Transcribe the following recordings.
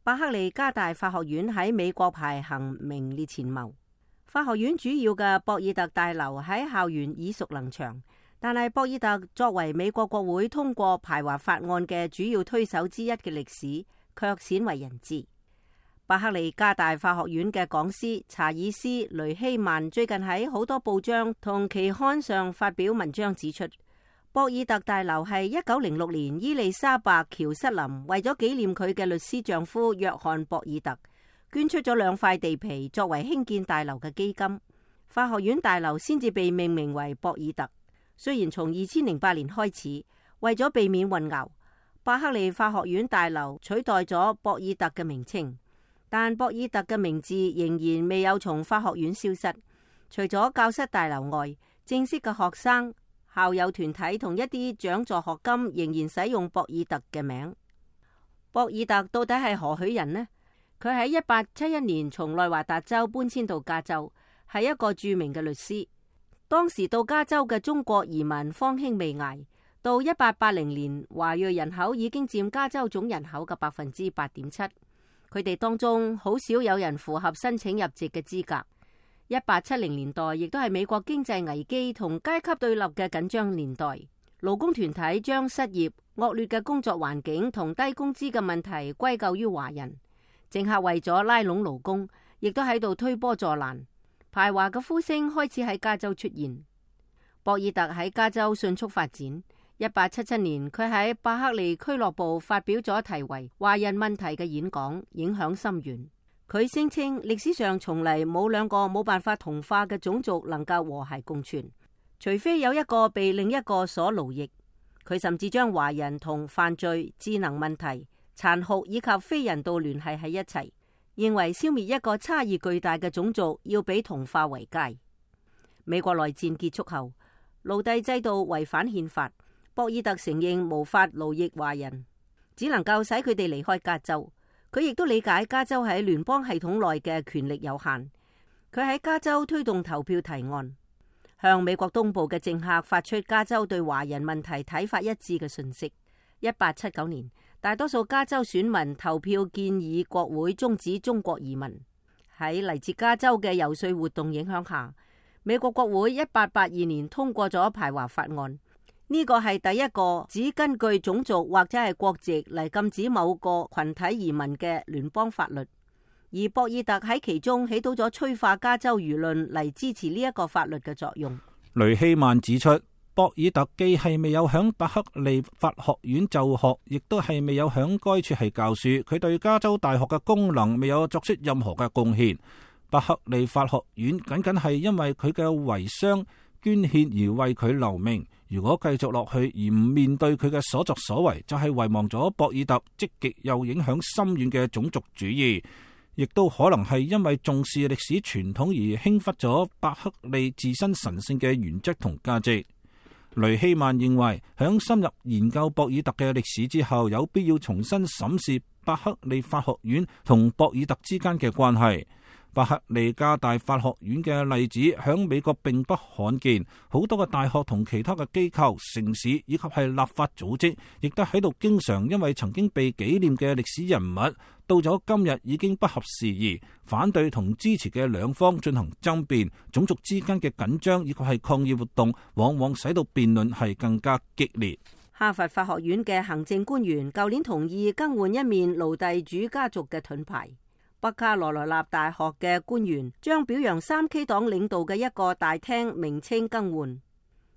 伯克利加大法學院喺美國排行名列前茅。法學院主要嘅博爾特大樓喺校園耳熟能詳，但係博爾特作為美國國會通過排華法案嘅主要推手之一嘅歷史卻鮮為人知。伯克利加大法學院嘅講師查爾斯·雷希曼最近喺好多報章同期刊上發表文章指出，博爾特大樓係1906年伊麗莎白·喬瑟琳為咗紀念佢嘅律師丈夫約翰·博爾特，捐出咗2塊地皮作為興建大樓嘅基金。法學院大樓先至被命名為博爾特。雖然從2008年開始，為咗避免混淆，伯克利法學院大樓取代咗博爾特嘅名稱，但博爾特嘅名字仍然未有從法學院消失。除咗教室大樓外，正式嘅學生、校友團體同一啲獎助學金仍然使用博爾特嘅名。博爾特到底係何許人呢？佢喺1871年從內華達州搬遷到加州，係一個著名嘅律師。當時到加州嘅中國移民方興未艾，到1880年，華裔人口已經佔加州總人口嘅8.7%。佢哋當中好少有人符合申請入籍嘅資格。1870年代亦都係美國經濟危機同階級對立嘅緊張年代，勞工團體將失業、惡劣嘅工作環境同低工資嘅問題歸咎於華人。政客為咗拉攏勞工，亦都喺度推波助瀾，排華嘅呼聲開始喺加州出現。博爾特喺加州迅速發展。1877年，佢喺伯克利俱樂部發表咗題為《華人問題》嘅演講，影響深遠。佢聲稱歷史上從嚟冇2個冇辦法同化嘅種族能夠和諧共存，除非有一個被另一個所奴役。佢甚至將華人同犯罪、智能問題、殘酷以及非人道聯繫喺一齊，認為消滅一個差異巨大嘅種族要比同化為佳。美國內戰結束後，奴隸制度違反憲法，博爾特承認無法奴役華人，只能夠使佢哋離開加州。佢亦都理解加州喺聯邦系統內嘅權力有限。佢喺加州推動投票提案，向美國東部嘅政客發出加州對華人問題睇法一致嘅訊息。1879年，大多數加州選民投票建議國會終止中國移民。喺嚟自加州嘅遊說活動影響下，美國國會1882年通過咗排華法案。呢個係第一個只根據種族或者係國籍嚟禁止某個群體移民嘅聯邦法律，而博爾特喺其中起到咗催化加州輿論嚟支持呢一個法律嘅作用。雷希曼指出，博爾特既係未有響伯克利法學院就學，亦都係未有響該處係教書，佢對加州大學嘅功能未有作出任何嘅貢獻。伯克利法學院僅僅係因為佢嘅遺孀捐獻而為佢留名。如果繼續落去而唔面對佢嘅所作所為，就係遺忘咗博爾特積極又影響深遠嘅種族主義，亦都可能係因為重視歷史傳統而輕忽咗伯克利自身神聖嘅原則同價值。雷希曼認為，響深入研究博爾特嘅歷史之後，有必要重新審視伯克利法學院同博爾特之間嘅關係。伯克利加大法學院嘅例子響美國並不罕見，好多嘅大學同其他嘅機構、城市以及係立法組織，亦都喺度經常因為曾經被紀念嘅歷史人物，到咗今日已經不合時宜，反對同支持嘅兩方進行爭辯，種族之間嘅緊張以及係抗議活動，往往使到辯論係更加激烈。哈佛法學院嘅行政官員舊年同意更換一面奴隸主家族嘅盾牌。北卡羅來納大學嘅官員將表揚3K 黨領導嘅一個大廳名稱更換。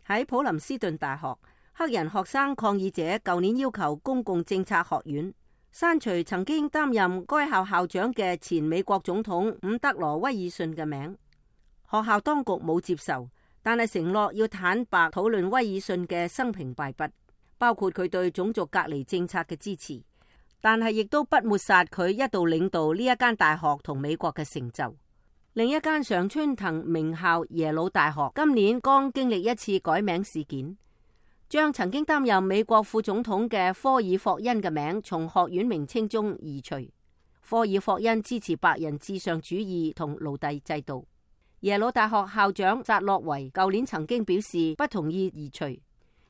喺普林斯頓大學，黑人學生抗議者舊年要求公共政策學院刪除曾經擔任該校校長嘅前美國總統伍德羅威爾遜嘅名。學校當局冇接受，但係承諾要坦白討論威爾遜嘅生平敗筆，包括佢對種族隔離政策嘅支持。但係亦都不抹殺佢一度領導呢一間大學同美國嘅成就。另一間常春藤名校耶魯大學今年剛經歷一次改名事件，將曾經擔任美國副總統嘅科爾霍恩嘅名從學院名稱中移除。科爾霍恩支持白人至上主義同奴隸制度。耶魯大學校長扎洛維舊年曾經表示不同意移除，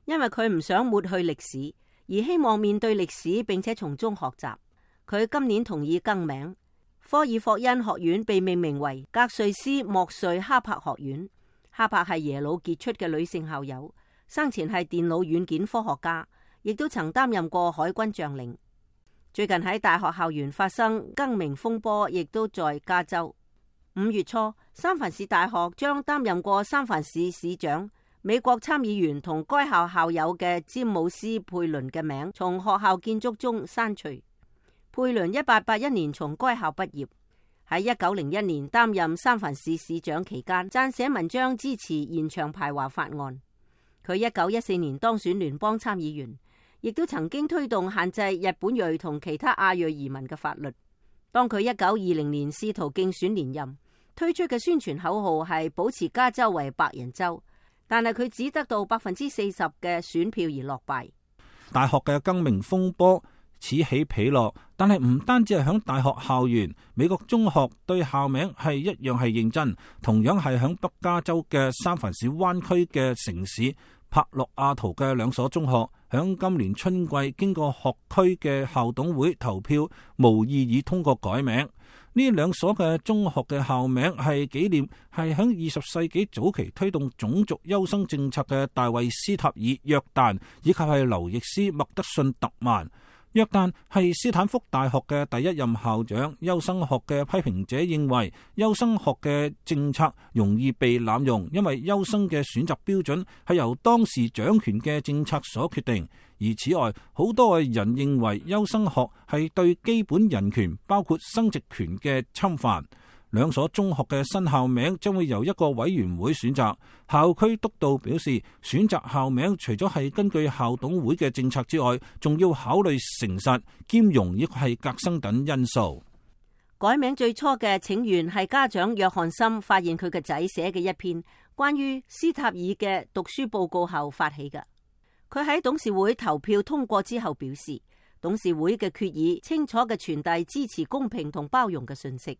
因為佢唔想抹去歷史，而希望面對歷史並且從中學習。佢今年同意更名，科爾霍恩學院被命名為格瑞斯莫瑞哈柏學院。哈柏係耶魯傑出嘅女性校友，生前係電腦軟件科學家，亦都曾擔任過海軍將領。最近喺大學校園發生更名風波，亦都在加州。5月初，三藩市大學將擔任過三藩市市長、美國參議員同該校校友嘅詹姆斯·佩倫嘅名從學校建築中刪除。佩倫1881年從該校畢業，喺1901年擔任三藩市市長期間，撰寫文章支持延長排華法案。佢1914年當選聯邦參議員，亦都曾經推動限制日本裔同其他亞裔移民嘅法律。當佢1920年試圖競選連任，推出嘅宣傳口號係保持加州為白人州，但係佢只得到40%嘅選票而落敗。大學嘅更名風波此起彼落，但係唔單止係響大學校園，美國中學對校名係一樣係認真，同樣係響北加州嘅三藩市灣區嘅城市帕洛亞圖嘅兩所中學，響今年春季經過學區嘅校董會投票，無異議通過改名。呢兩所嘅中學嘅校名係紀念係響20世紀早期推動種族優生政策嘅大衛斯塔爾約旦，以及係劉易斯麥德遜特曼。約旦係斯坦福大學嘅第一任校長。優生學嘅批評者認為，優生學嘅政策容易被濫用，因為優生嘅選擇標準係由當時掌權嘅政策所決定。而此外，好多人認為優生學係對基本人權，包括生殖權嘅侵犯。兩所中學嘅新校名將會由一個委員會選擇。校區督導表示，選擇校名除咗係根據校董會嘅政策之外，仲要考慮誠實、兼容亦係革新等因素。改名最初嘅請願係家長約翰森發現佢嘅仔寫嘅一篇關於斯塔爾嘅讀書報告後發起嘅。佢喺董事會投票通過之後表示，董事會嘅決議清楚嘅傳遞支持公平同包容嘅信息。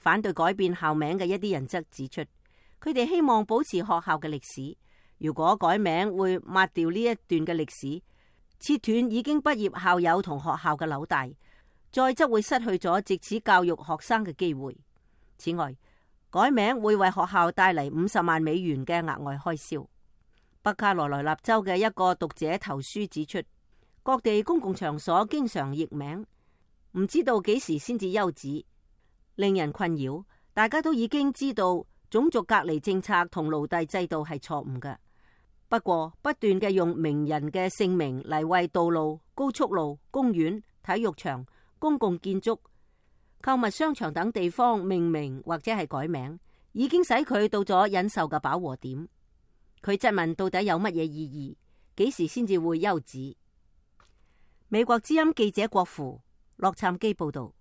反對改變校名嘅一啲人則指出，佢哋希望保持學校嘅歷史。如果改名會抹掉呢一段嘅歷史，切斷已經畢業校友同學校嘅紐帶，再則會失去咗藉此教育學生嘅機會。此外，改名會為學校帶嚟50萬美元嘅額外開銷。北卡羅來納州嘅一個讀者投書指出，各地公共場所經常易名，唔知道幾時先至休止，令人困擾。大家都已經知道種族隔離政策同奴隸制度係錯誤嘅，不過不斷嘅用名人嘅姓名嚟為道路、高速路、公園、體育場、公共建築、購物商場等地方命名或者係改名，已經使佢到咗忍受嘅飽和點。佢質問到底有乜嘢意義？幾時先至會休止？美國之音記者郭芙洛杉磯報道。